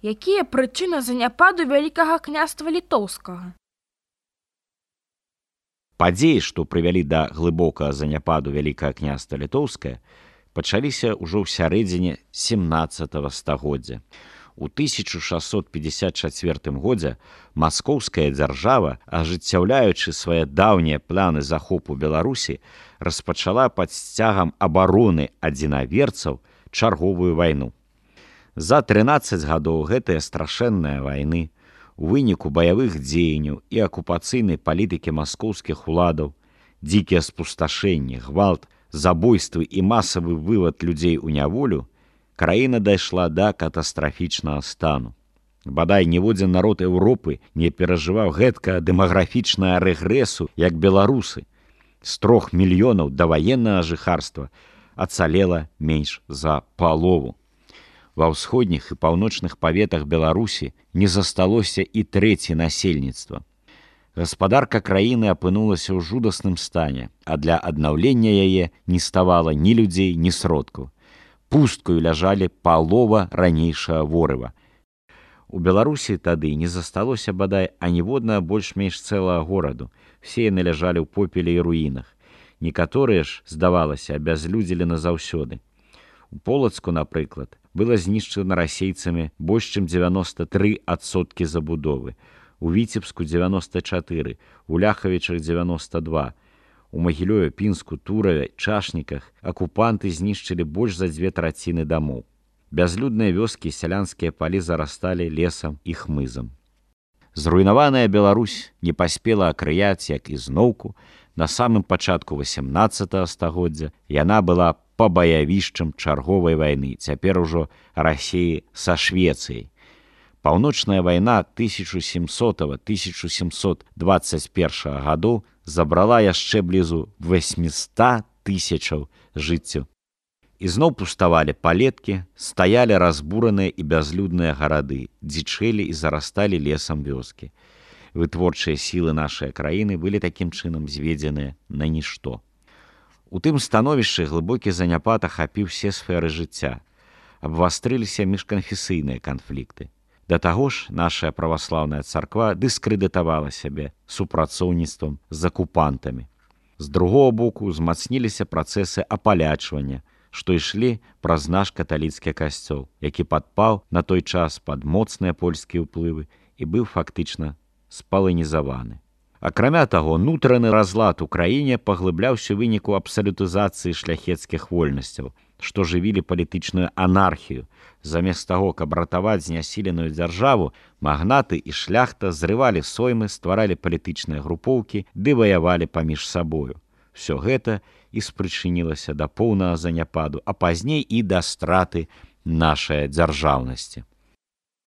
Якія прычыны заняпаду Вялікага княства Літоўскага? Падзеі, што прывялі да глыбокага заняпаду Вялікага княства Літоўскае, пачаліся ўжо ў сярэдзіне 17 стагоддзя. У 1654 годзе маскоўская дзяржава, ажыццяўляючы свае даўнія планы захопу Беларусі, распачала пад сцягам абароны адзінаверцаў чарговую вайну. За 13 гадоў гэтыя страшэнныя вайны, у выніку баявых дзеянняў і акупацыйнай палітыкі маскоўскіх уладаў, дзікія спусташэнні, гвалт, забойствы і масавы вывад людзей у няволю, краіна дайшла да катастрафічнага стану. Бадай ніводзін народ Еўропы не перажываў гэткага дэмаграфічнага рэгрэсу, як беларусы. З 3 мільёнаў даваеннага жыхарства ацалела менш за палову. Ва ўсходніх і паўночных паветах Беларусі не засталося і трэці насельніцтва. Гаспадарка краіны апынулася ў жудасным стане, а для аднаўлення яе не ставала ні людзей, ні сродкаў. Пусткаю ляжалі палова ранейшага ворыва. У Беларусі тады не засталося бадай аніводнага больш-менш цэлага гораду. Все яны ляжалі ў попеле і руінах. Некаторыя ж, здавалася, абязлюдзілі назаўсёды. У Полацку, напрыклад, было знішчана расейцамі больш чым 93% забудовы, у Віцебску 94%, у Ляхавічах 92%, у Магілёве, Пінску, Тураве, Чашніках акупанты знішчылі больш за 2/3 дамоў. Бязлюдныя вёскі і сялянскія палі зарасталі лесам і хмызам. Зруйнаваная Беларусь не паспела акрыяць, як і зноўку, на самым пачатку 18 стагоддзя яна была пабаявішчам чарговай вайны, цяпер ужо Расіі са Швецыяй. Паўночная вайна 1700-1721 гадоў забрала яшчэ блізу 800 000 жыццяў. Ізноў пуставалі палеткі, стаялі разбураныя і бязлюдныя гарады, дзічэлі і зарасталі лесам вёскі. Вытворчыя сілы нашай краіны былі такім чынам зведзеныя на нішто. У тым становішчы глыбокі заняпад ахапіў все сферы жыцця. Абвастрыліся міжканфесійныя канфлікты. Да таго ж, наша праваслаўная царква дыскрэдытавала сябе супрацоўніцтвам з акупантамі. З другого боку узмацніліся працэсы апалячвання, што ішлі праз наш каталіцкі касцёл, які падпаў на той час пад моцныя польскія ўплывы і быў фактычна спаланізаваны. Акрамя таго, нутраны разлад у краіне паглыбляўся ў выніку абсалютызацыі шляхецкіх вольнасцяў, што жывілі палітычную анархію. Замест таго, каб ратаваць знясіленую дзяржаву, магнаты і шляхта зрывалі соймы, стваралі палітычныя групоўкі ды ваявалі паміж сабою. Всё гэта і спрычынілася да поўнага заняпаду, а пазней і да страты нашай дзяржаўнасці.